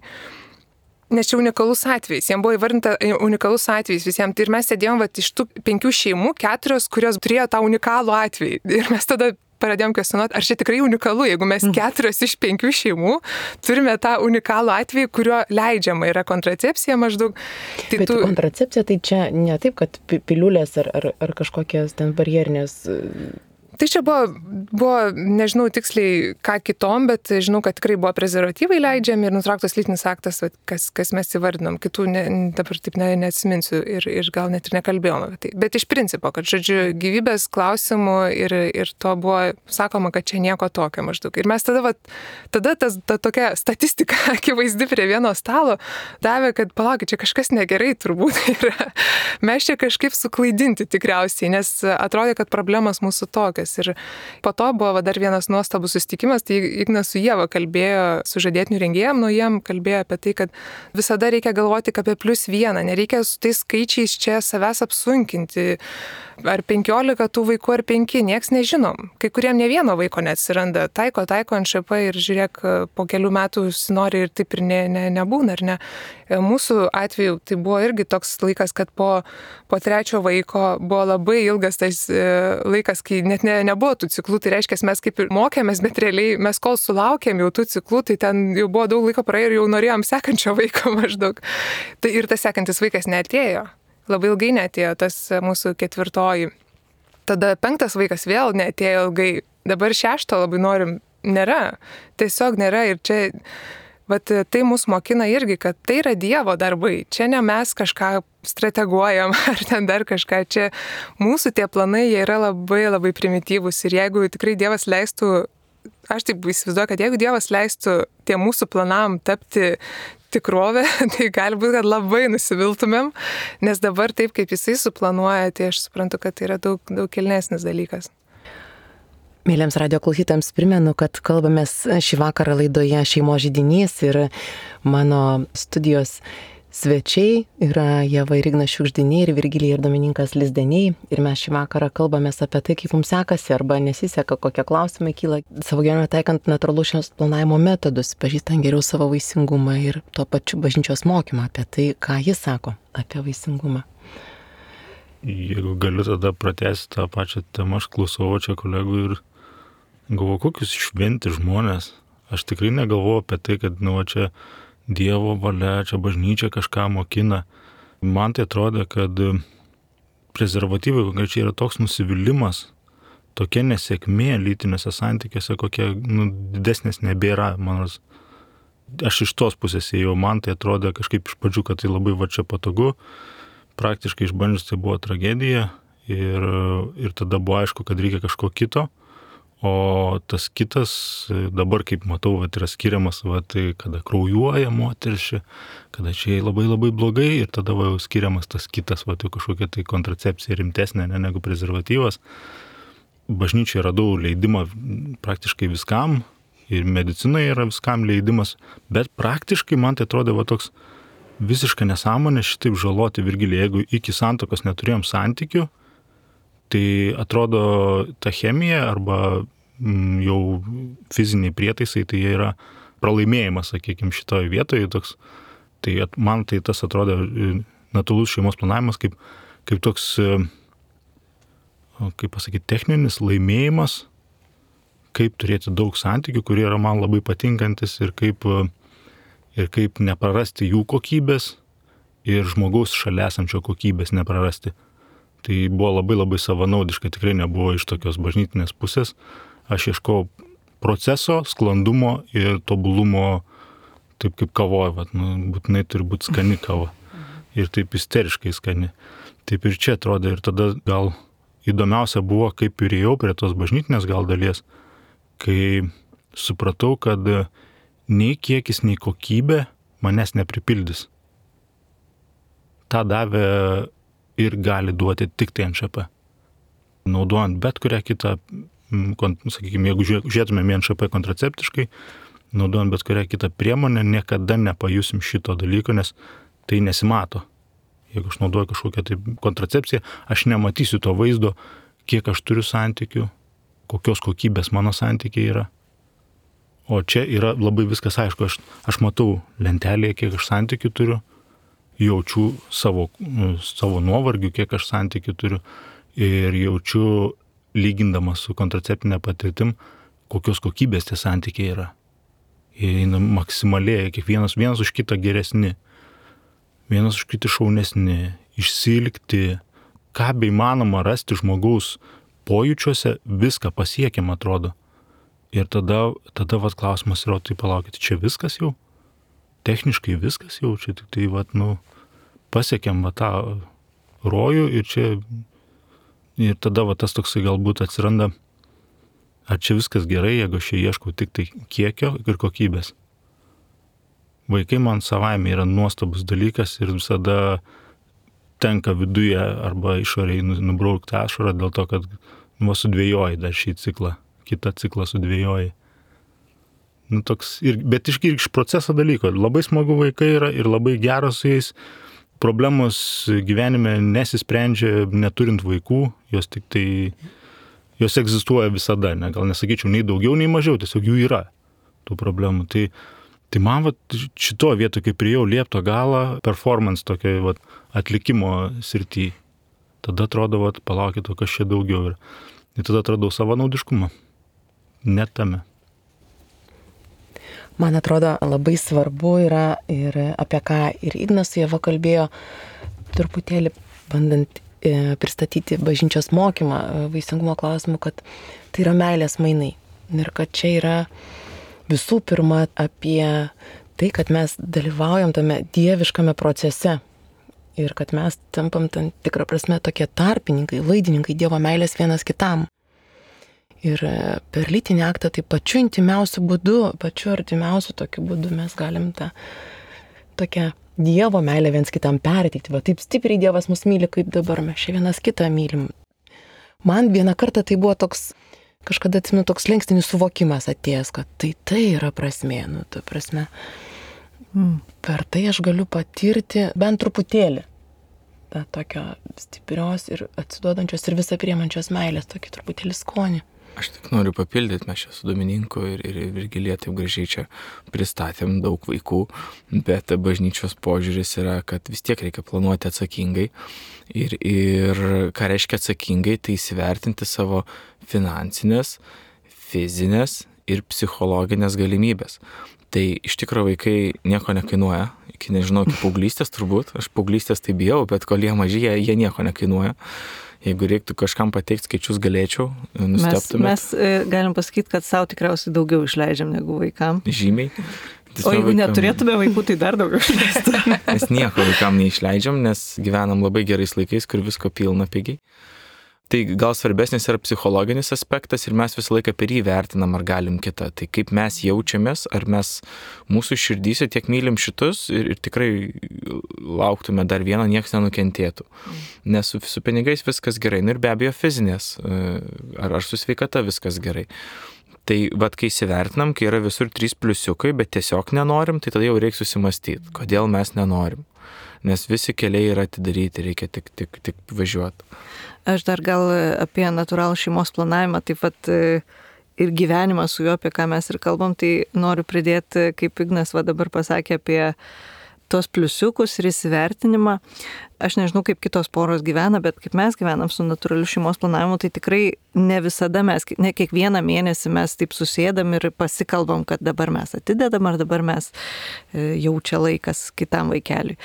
Nes čia unikalus atvejs, jiems buvo įvardinta unikalus atvejs visiems. Ir mes sėdėjom iš tų 5 šeimų, 4, kurios turėjo tą unikalų atvejį. Ir mes tada pradėjom kvestionuoti, ar čia tikrai unikalu, jeigu mes 4 iš 5 šeimų turime tą unikalų atvejį, kurio leidžiama yra kontracepcija maždaug. Tai bet kontracepcija tai čia ne taip, kad piliulės ar kažkokios ten barjerinės. Tai čia buvo, nežinau tiksliai ką kitom, bet žinau, kad tikrai buvo prezervatyvai leidžiami ir nutrauktas lytinis aktas, kas mes įvardinom. Kitų dabar taip neatsiminsiu ir gal net ir nekalbėjom apie tai. Bet iš principo, kad, žodžiu, gyvybės klausimų ir to buvo sakoma, kad čia nieko tokio maždaug. Ir mes tada ta tokia statistika akivaizdi prie vieno stalo davė, kad palaukit, čia kažkas negerai turbūt yra. Mes čia kažkaip suklaidinti tikriausiai, nes atrodė, kad problemas mūsų tokios. Ir po to buvo dar vienas nuostabus susitikimas, tai Ignas su Ieva kalbėjo su žadėtinių rengėjam, jiem kalbėjo apie tai, kad visada reikia galvoti apie +1, nereikia su tais skaičiais čia savęs apsunkinti, ar 15 tų vaikų, ar 5, nieks nežinom. Kai kuriem ne vieno vaiko neatsiranda, taiko NŠP ir žiūrėk, po kelių metų nori ir taip ir nebūna, ar ne. Mūsų atveju tai buvo irgi toks laikas, kad po 3 vaiko buvo labai ilgas tas laikas, kai net nebuvo tų ciklų, tai reiškia, mes kaip ir mokėmės, bet realiai mes kol sulaukėm jau tų ciklų, tai ten jau buvo daug laiko praėjo ir jau norėjom sekančio vaiko maždaug. Tai ir tas sekantis vaikas neatėjo. Labai ilgai neatėjo tas mūsų 4. Tada 5 vaikas vėl neatėjo ilgai. Dabar 6 labai norim. Nėra. Tiesiog nėra. Ir čia, tai mus mokina irgi, kad tai yra Dievo darbai. Čia ne mes kažką strateguojam ar ten dar kažką. Čia mūsų tie planai, jie yra labai labai primityvūs. Ir jeigu tikrai Dievas leistų, aš taip įsivaizduoju, kad jeigu Dievas leistų tie mūsų planam tapti tikrovė, tai gali būti, kad labai nusiviltumėm, nes dabar taip, kaip jisai suplanuoja, tai aš suprantu, kad tai yra daug kilnesnis dalykas. Mėlyms radio klausytams primenu, kad kalbamės šį vakarą laidoje Šeimos židinys ir mano studijos svečiai yra Ieva ir Ignas Šiugždiniai ir Virgilija ir Domininkas Lizdeniai. Ir mes šį vakarą kalbamės apie tai, kaip mums sekasi arba nesiseka, kokie klausimai kyla savo gyvenime taikant natūralaus šeimos planavimo metodus, pažįstant geriau savo vaisingumą ir tuo pačiu bažnyčios mokymą apie tai, ką jis sako apie vaisingumą. Jeigu galiu tada pratęsti tą pačią temą, aš klausau čia kolegų ir galvoju, kokius šventi žmonės. Aš tikrai negalvoju apie tai, kad čia Dievo valia, čia bažnyčia kažką mokina. Man tai atrodo, kad prezervatyvai konkrečiai yra toks nusivylimas, tokia nesėkmė lytinėse santykiuose, kokia didesnės nebėra. Aš iš tos pusės ėjau, man tai atrodo kažkaip iš pradžių, kad tai labai čia patogu. Praktiškai išbandžius tai buvo tragedija ir tada buvo aišku, kad reikia kažko kito. O tas kitas, dabar kaip matau, yra skiriamas, kada kraujuoja moteris, kada čia labai labai blogai ir tada jau skiriamas tas kitas, kažkokia tai kontracepcija rimtesnė negu prezervatyvas. Bažnyčiai radau leidimą praktiškai viskam ir medicinoje yra viskam leidimas, bet praktiškai man tai atrodė toks visiška nesąmonė šitaip žaloti Virgiliją, jeigu iki santuokos neturėjom santykių. Tai atrodo, ta chemija arba jau fiziniai prietaisai, tai jie yra pralaimėjimas, sakykime, šitoje vietoje. Tai man tai tas atrodo natūralus šeimos planavimas kaip toks, kaip pasakyti, techninis laimėjimas, kaip turėti daug santykių, kurie yra man labai patinkantis ir kaip neprarasti jų kokybės ir žmogaus šalia esančio kokybės neprarasti. Tai buvo labai labai savanaudiška, tikrai nebuvo iš tokios bažnytinės pusės. Aš ieškau proceso, sklandumo ir tobulumo, taip kaip kavoje, būtinai turi būti skani kava. Ir taip isteriškai skani. Taip ir čia atrodo, ir tada gal įdomiausia buvo, kaip ir ėjau prie tos bažnytinės gal dalies, kai supratau, kad nei kiekis, nei kokybė manęs nepripildys. Ta davė ir gali duoti tik tai NŠP. Naudojant bet kurią kitą, sakykime, jeigu žiūrėtumėm NŠP kontraceptiškai, naudojant bet kurią kitą priemonę, niekada nepajusim šito dalyko, nes tai nesimato. Jeigu aš naudoju kažkokią tai kontracepciją, aš nematysiu to vaizdo, kiek aš turiu santykių, kokios kokybės mano santykiai yra. O čia yra labai viskas aišku, aš matau lentelėje, kiek aš santykių turiu, jaučiu savo nuovargių, kiek aš santykių turiu ir jaučiu, lygindamas su kontraceptinė patirtim, kokios kokybės tie santykiai yra. Jie maksimaliai, kiekvienas vienas už kitą geresni, vienas už kitą šaunesni, išsilgti, ką beįmanoma rasti žmogaus pojūčiuose, viską pasiekiam atrodo. Ir tada klausimas yra, tai palaukite, čia viskas jau? Techniškai viskas jau, čia tik tai pasiekėm tą rojų ir tada tas toksai galbūt atsiranda, ar čia viskas gerai, jeigu aš ieškau tik tai kiekio ir kokybės. Vaikai man savaime yra nuostabus dalykas ir visada tenka viduje arba išoriai nubraukti ašarą dėl to, kad sudvėjoji dar šį ciklą, kitą ciklą sudvėjoji. Bet iš proceso dalyko. Labai smagu vaikai yra ir labai geros su jais. Problemos gyvenime nesisprendžia neturint vaikų, jos egzistuoja visada, gal nesakyčiau nei daugiau, nei mažiau, tiesiog jų yra tų problemų. Tai man šito vieto, kai priėjau liepto galą, performance tokio atlikimo srity, tada atrodo, palaukit, kas čia daugiau yra. Ir tada atradau savanaudiškumą. Net tame. Man atrodo, labai svarbu yra ir apie ką ir Ignas su Ieva kalbėjo, truputėlį bandant pristatyti bažnyčios mokymą vaisingumo klausimu, kad tai yra meilės mainai. Ir kad čia yra visų pirma apie tai, kad mes dalyvaujam tame dieviškame procese. Ir kad mes tampam tam tikrą prasme tokie tarpininkai, laidininkai Dievo meilės vienas kitam. Ir per lytinį aktą tai pačiu intimiausiu būdu, pačiu artimiausiu tokiu būdu mes galim tą tokią Dievo meilę viens kitam perteikti. Va taip stipriai Dievas mus myli, kaip dabar mes čia vienas kitą mylim. Man vieną kartą tai buvo toks, kažkada atsimenu, toks slenkstinis suvokimas atėjęs, kad tai yra prasmė, ta prasme. Per tai aš galiu patirti bent truputėlį tą tokio stiprios ir atsiduodančios ir visą priimančios meilės, tokį truputėlį skonį. Aš tik noriu papildyti, mes čia su Domininku ir Virgilija taip gražiai čia pristatėm daug vaikų, bet bažnyčios požiūris yra, kad vis tiek reikia planuoti atsakingai ir ką reiškia atsakingai, tai įsivertinti savo finansinės, fizinės ir psichologinės galimybės. Tai iš tikrųjų vaikai nieko nekainuoja, iki nežinau, iki paauglystės turbūt, aš paauglystės tai bijau, bet kol jie maži, jie nieko nekainuoja. Jeigu reiktų kažkam pateikti skaičius, galėčiau, nustebtumėt. Mes galim pasakyti, kad savo tikriausiai daugiau išleidžiam negu vaikam. Žymiai. O jeigu neturėtume vaikų, tai dar daugiau išleistume. Mes nieko vaikam neišleidžiam, nes gyvenam labai gerais laikais, kur visko pilna pigiai. Tai gal svarbesnis yra psichologinis aspektas ir mes visą laiką per jį vertinam, ar galim kitą. Tai kaip mes jaučiamės, ar mes mūsų širdyse tiek mylim šitus ir tikrai lauktume dar vieno, niekas nenukentėtų. Nes su pinigais viskas gerai. Ir be abejo fizinės, ar su sveikata viskas gerai. Tai vat kai įsivertinam, kai yra visur 3 pliusiukai, bet tiesiog nenorim, tai tada jau reikia susimastyti, kodėl mes nenorim. Nes visi keliai yra atidaryti, reikia tik važiuoti. Aš dar gal apie natūralų šeimos planavimą, taip pat ir gyvenimą su juo, apie ką mes ir kalbam, tai noriu pridėti, kaip Ignas dabar pasakė apie tos pliusiukus ir įsivertinimą. Aš nežinau, kaip kitos poros gyvena, bet kaip mes gyvenam su natūraliu šeimos planavimu, tai tikrai ne visada ne kiekvieną mėnesį mes taip susėdam ir pasikalbam, kad dabar mes atidedam ar dabar mes jau čia laikas kitam vaikeliui.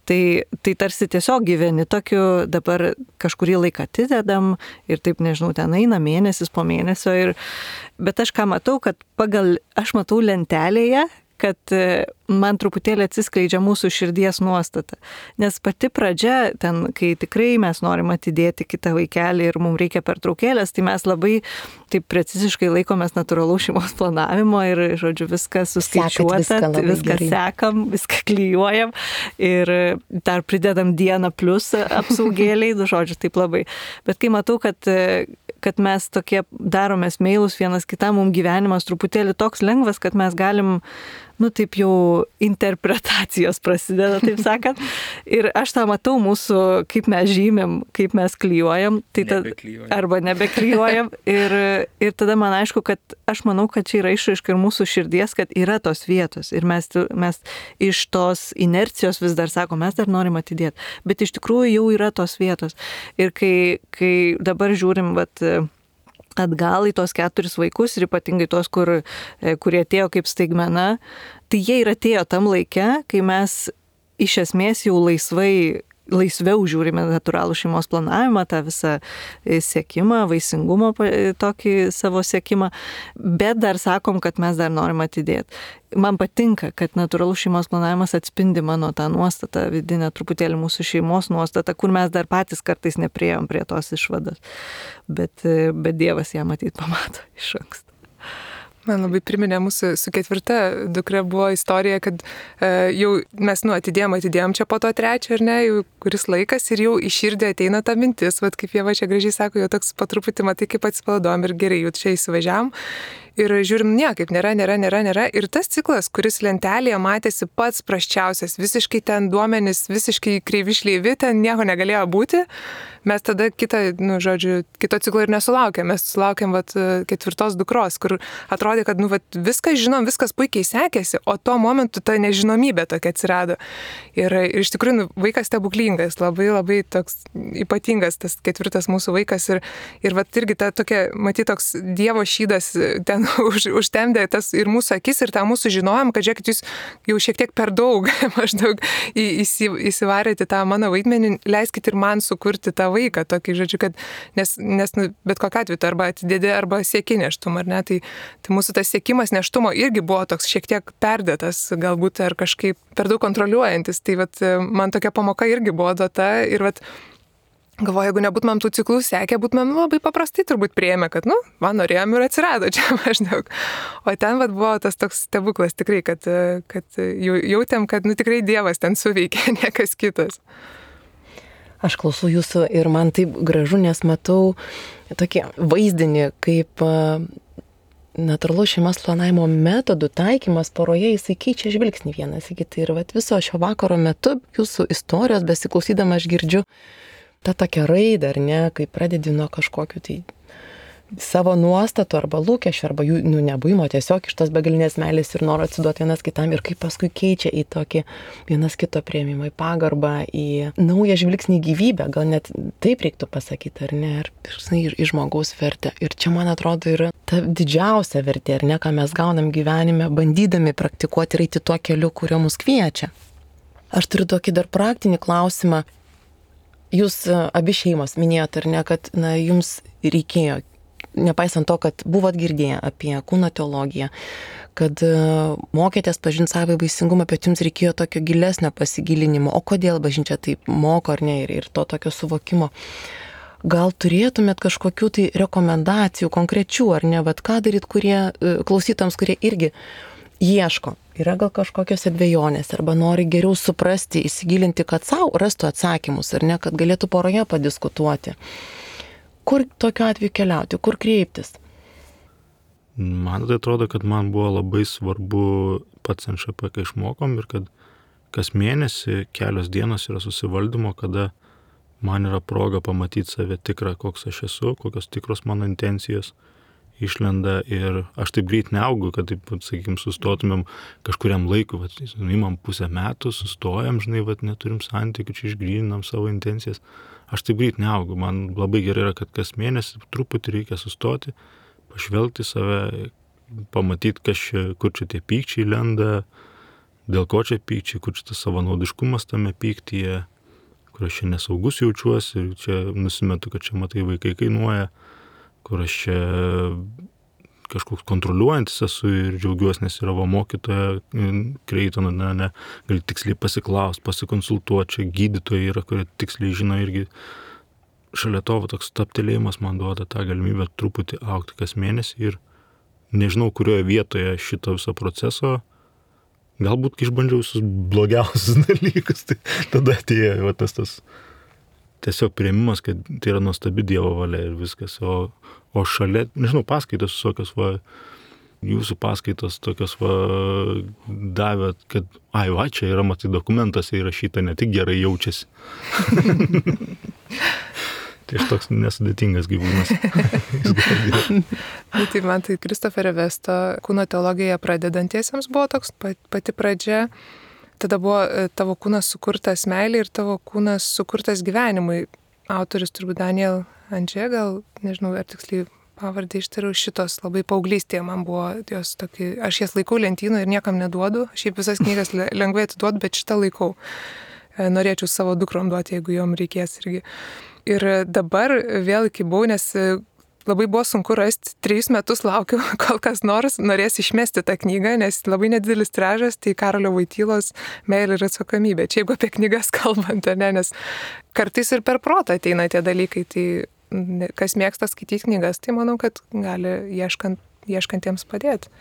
Tai tarsi tiesiog gyveni tokiu, dabar kažkurį laiką atidedam ir taip, nežinau, ten eina mėnesis po mėnesio. Bet aš ką matau, kad aš matau lentelėje, kad man truputėlį atsiskleidžia mūsų širdies nuostata. Nes pati pradžia, ten, kai tikrai mes norim atidėti kitą vaikelį ir mums reikia pertraukėlės, tai mes labai taip preciziškai laikomės natūralaus šeimos planavimo ir, žodžiu, viską suskaičiuota, viską sekam, viską klijuojam ir dar pridedam dieną plus apsaugėliai, žodžiu, taip labai. Bet kai matau, kad mes tokie daromės meilus vienas kitam, mums gyvenimas truputėlį toks lengvas, kad mes galim, taip jau interpretacijos prasideda, taip sakant. Ir aš tą matau mūsų, kaip mes žymėm, kaip mes klijuojam, arba nebeklijuojam. Ir tada man aišku, kad aš manau, kad čia yra išraiška ir mūsų širdies, kad yra tos vietos. Ir mes iš tos inercijos vis dar sakom, mes dar norim atidėti. Bet iš tikrųjų jau yra tos vietos. Ir kai dabar žiūrim, atgal į tos 4 vaikus ir ypatingai tos, kurie atėjo kaip staigmena, tai jie ir atėjo tam laike, kai mes iš esmės jau laisviau žiūrime natūralų šeimos planavimą, tą visą siekimą, vaisingumo tokį savo siekimą, bet dar sakom, kad mes dar norim atidėti. Man patinka, kad natūralus šeimos planavimas atspindi mano tą nuostatą, vidinę truputėlį mūsų šeimos nuostatą, kur mes dar patys kartais nepriejom prie tos išvados. Bet Dievas ją matyt pamato iš anksto. Man labai priminė mūsų su 4 dukra buvo istorija, kad jau mes atidėjom čia po to 3, ar ne, jau kuris laikas ir jau į širdį ateina ta mintis, kaip Ieva čia gražiai sako, jau toks po truputį matai, kaip atsipalaidojom ir gerai, jau čia įsivažiavam. Ir žiūrim, niekaip nėra. Ir tas ciklas, kuris lentelėje matėsi pats prasčiausias, visiškai ten duomenys, visiškai kreivi šleivi, ten nieko negalėjo būti. Mes tada kito ciklo ir nesulaukėm. Mes sulaukėm 4 dukros, kur atrodė, kad viską žinom, viskas puikiai sekėsi, o tuo momentu ta nežinomybė tokia atsirado. Ir iš tikrųjų vaikas stebuklingas, labai labai toks ypatingas tas 4 mūsų vaikas. Ir irgi ta tokia, matyt, toks Dievo šydas ten užtemdė tas ir mūsų akis, ir tą mūsų žinojom, kad žiūrėkit, jūs jau šiek tiek per daug maždaug įsivarėte tą mano vaidmenį, leiskit ir man sukurti tą vaiką, tokį žodžiu, kad nes bet kokiu atveju arba atidėdė, arba sieki neštumą, ar ne, tai mūsų tas siekimas neštumo irgi buvo toks šiek tiek perdėtas, galbūt ar kažkaip per daug kontroliuojantis, tai man tokia pamoka irgi buvo duota ir galvoju, jeigu nebūtumėm tų ciklų sekę, būtumėm labai paprastai turbūt priėmę, kad, man norėjom ir atsirado čia maždaug. O ten buvo tas toks stebuklas tikrai, kad jautėm, kad tikrai Dievas ten suveikė, niekas kitas. Aš klausau jūsų ir man taip gražu, nes matau tokį vaizdinį, kaip natūralaus šeimos planavimo metodų taikymas poroje, jisai keičia žvilgsnį vienas į kitą. Ir viso šio vakaro metu jūsų istorijos besiklausydama aš girdžiu tą tokią raidą, ar ne, kai pradedi nuo kažkokių tai savo nuostatų arba lūkesčių, arba jų nebuvimo, tiesiog iš tos begalinės meilės ir noro atsiduoti vienas kitam ir kaip paskui keičia į tokį vienas kito priėmimą, į pagarbą, į naują žvilgsnį į gyvybę, gal net taip reiktų pasakyti, ar ne, ir į žmogaus vertę. Ir čia, man atrodo, yra ta didžiausia vertė, ar ne, ką mes gaunam gyvenime, bandydami praktikuoti ir eiti tuo keliu, kurio mus kviečia. Aš turiu tokį dar praktinį klausimą. Jūs abi šeimos minėjote, ar ne, kad jums reikėjo, nepaisant to, kad buvot girdėję apie kūno teologiją, kad mokėtės pažinti savą vaisingumą, bet jums reikėjo tokio gilesnio pasigilinimo, o kodėl bažnyčia taip moko ar ne, ir to tokio suvokimo. Gal turėtumėt kažkokių tai rekomendacijų konkrečių, ar ne, ką daryt klausytams, kurie irgi ieško, yra gal kažkokios dvejonės, arba nori geriau suprasti, įsigilinti, kad savo rastų atsakymus, ar ne, kad galėtų poroje padiskutuoti. Kur tokiu atveju keliauti, kur kreiptis? Man tai atrodo, kad man buvo labai svarbu pats NŠP, kai išmokom, ir kad kas mėnesį kelios dienos yra susivaldymo, kada man yra proga pamatyti save tikrą, koks aš esu, kokios tikros mano intencijos išlenda, ir aš taip greit neaugu, kad taip, sakykim, sustotumėm kažkuriam laikui, imam pusę metų, sustojam, neturim santykių, čia išgryninam savo intencijas. Aš taip greit neaugu, man labai gerai yra, kad kas mėnesį truputį reikia sustoti, pažvelgti save, pamatyti, kur čia tie pykčiai lenda, dėl ko čia pykčiai, kur čia tas savanaudiškumas tame pyktyje, kur aš čia nesaugus jaučiuosi ir čia nusimetu, kad čia matai vaikai kainuoja, kur aš čia kažkoks kontroliuojantis esu ir džiaugiuosi, nes yra mokytoja Kreitono, gali tiksliai pasiklausti, pasikonsultuoti, čia gydytojai yra, kurie tiksliai žino, irgi šalia to toks taptelėjimas man duoda tą galimybę truputį augti kas mėnesį ir nežinau, kurioje vietoje šito viso proceso, galbūt kai išbandžiau visus blogiausius dalykus, tai tada atėjo tas tiesiog priėmimas, kad tai yra nuostabi Dievo valia ir viskas, o šalia, nežinau, paskaitos visokios, jūsų paskaitos tokios davė, kad, čia yra, matai, dokumentuose įrašyta, ne tik gerai jaučiasi. Tai aš toks nesudėtingas gyvūnas. Tai man tai Kristoferio Vesto kūno teologija pradedantiesiems buvo toks pati pradžia. Tada buvo tavo kūnas sukurtas meilė ir tavo kūnas sukurtas gyvenimui. Autorius turbūt Daniel Andžė, gal, nežinau, ar tiksliai pavardę ištariau, šitos labai paauglystėje man buvo jos tokį, aš jas laikau lentynoje ir niekam neduodu. Šiaip visas knygas lengvai atiduodu, bet šitą laikau. Norėčiau savo dukrom duoti, jeigu jom reikės irgi. Ir dabar vėl kibau, nes labai buvo sunku rasti, 3 metus laukiu, kol kas nors norės išmesti tą knygą, nes labai nedidelis tiražas, tai Karolio Voitylos Meilė ir atsakomybė. Čia jeigu apie knygas kalbant, ne, nes kartais ir per protą ateina tie dalykai, tai kas mėgsta skaityti knygas, tai manau, kad gali ieškantiems padėti.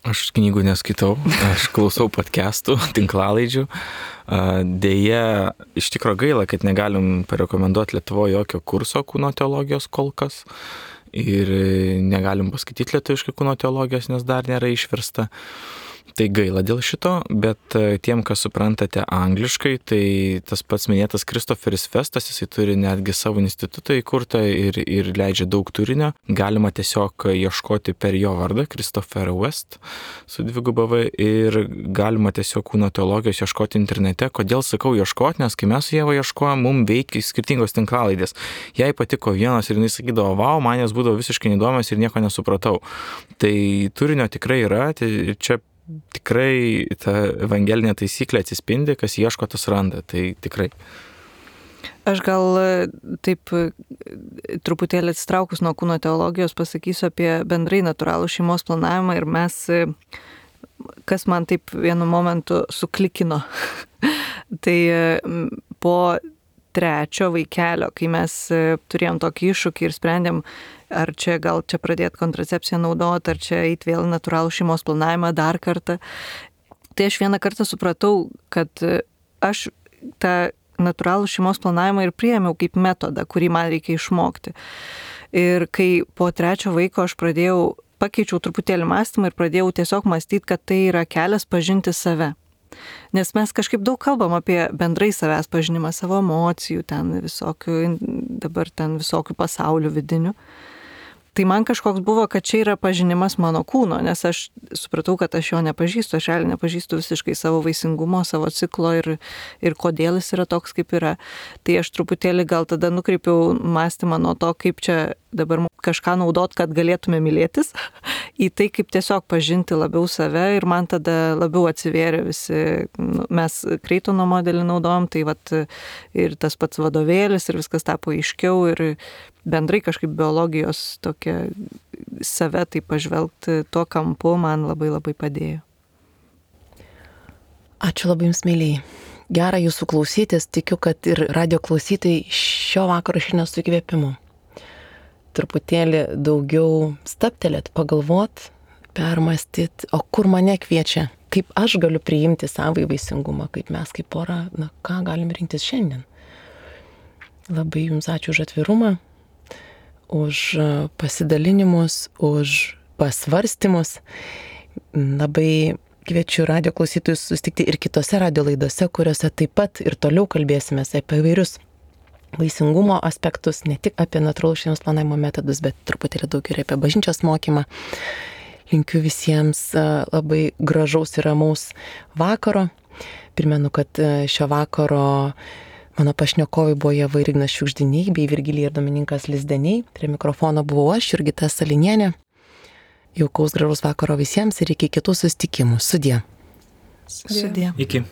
Aš knygų neskaitau, aš klausau podcastų, tinklalaidžių. Deja, iš tikro gaila, kad negalim parekomenduoti Lietuvoje jokio kurso kūno teologijos kol kas. Ir negalim paskaityti lietuviškai kūno teologijos, nes dar nėra išversta. Tai gaila dėl šito, bet tiem, kas suprantate angliškai, tai tas pats minėtas Kristoferis Vestas, jisai turi netgi savo institutą įkurtą ir leidžia daug turinio. Galima tiesiog ieškoti per jo vardą, Christopher West, su 2V, ir galima tiesiog kūno teologijos ieškoti internete. Kodėl sakau ieškoti, nes kai mes su Ieva ieškojom, mums veikia skirtingos tinklalaidės. Jai patiko vienas ir jinai sakydavo, vau, man jas būdavo visiškai neįdomios ir nieko nesupratau. Tai turinio tikrai yra, tai čia tikrai ta evangelinė taisyklė atsispindi, kas ieško, tas randa, tai tikrai. Aš gal taip truputėlį atsitraukus nuo kūno teologijos pasakysiu apie bendrai natūralų šeimos planavimą ir mes, kas man taip vienu momentu suklikino. Tai po 3 vaikelio, kai mes turėjom tokį iššūkį ir sprendėm, ar čia gal čia pradėti kontracepciją naudoti, ar čia eiti vėl natūralų šeimos planavimą dar kartą. Tai aš vieną kartą supratau, kad aš tą natūralų šeimos planavimą ir priėmiau kaip metodą, kurį man reikia išmokti. Ir kai po 3 vaiko aš pakeičiau truputėlį mąstymą ir pradėjau tiesiog mąstyti, kad tai yra kelias pažinti save. Nes mes kažkaip daug kalbam apie bendrai savęs pažinimą, savo emocijų, dabar visokių pasaulių vidinių. Tai man kažkoks buvo, kad čia yra pažinimas mano kūno, nes aš supratau, kad aš jo nepažįstu, aš realiai nepažįstu visiškai savo vaisingumo, savo ciklo ir kodėl jis yra toks, kaip yra. Tai aš truputėlį gal tada nukreipiau mąstymą nuo to, kaip čia dabar kažką naudot, kad galėtume mylėtis, į tai, kaip tiesiog pažinti labiau save ir man tada labiau atsivėrė visi, mes Kreitono modelį naudojom, tai ir tas pats vadovėlis ir viskas tapo aiškiau ir bendrai kažkaip biologijos tokia save tai pažvelgti tuo kampu man labai labai padėjo. Ačiū labai jums, mėlyjei. Gera jūsų klausytis, tikiu, kad ir radio klausytojai šio vakaro šiandien su įkvėpimu. Truputėlį daugiau stabtelėt, pagalvot, permąstyt, o kur mane kviečia, kaip aš galiu priimti savąjį vaisingumą, kaip mes kaip pora, ką galim rinktis šiandien. Labai jums ačiū už atvirumą, už pasidalinimus, už pasvarstymus. Labai kviečiu radio klausytojus susitikti ir kitose radio laidose, kuriuose taip pat ir toliau kalbėsime apie įvairius vaisingumo aspektus, ne tik apie natūralaus šeimos planavimo metodus, bet truputėlį daugiau ir apie bažnyčios mokymą. Linkiu visiems labai gražaus ir ramaus vakaro. Primenu, kad šio vakaro mano pašnekovai buvo Ieva ir Ignas Šiugždiniai bei Virgilija ir Domininkas Lizdeniai. Prie mikrofono buvau aš, Jurgita Salinienė. Jaukaus gražaus vakaro visiems ir iki kitų susitikimų. Sudie. Sudie. Iki.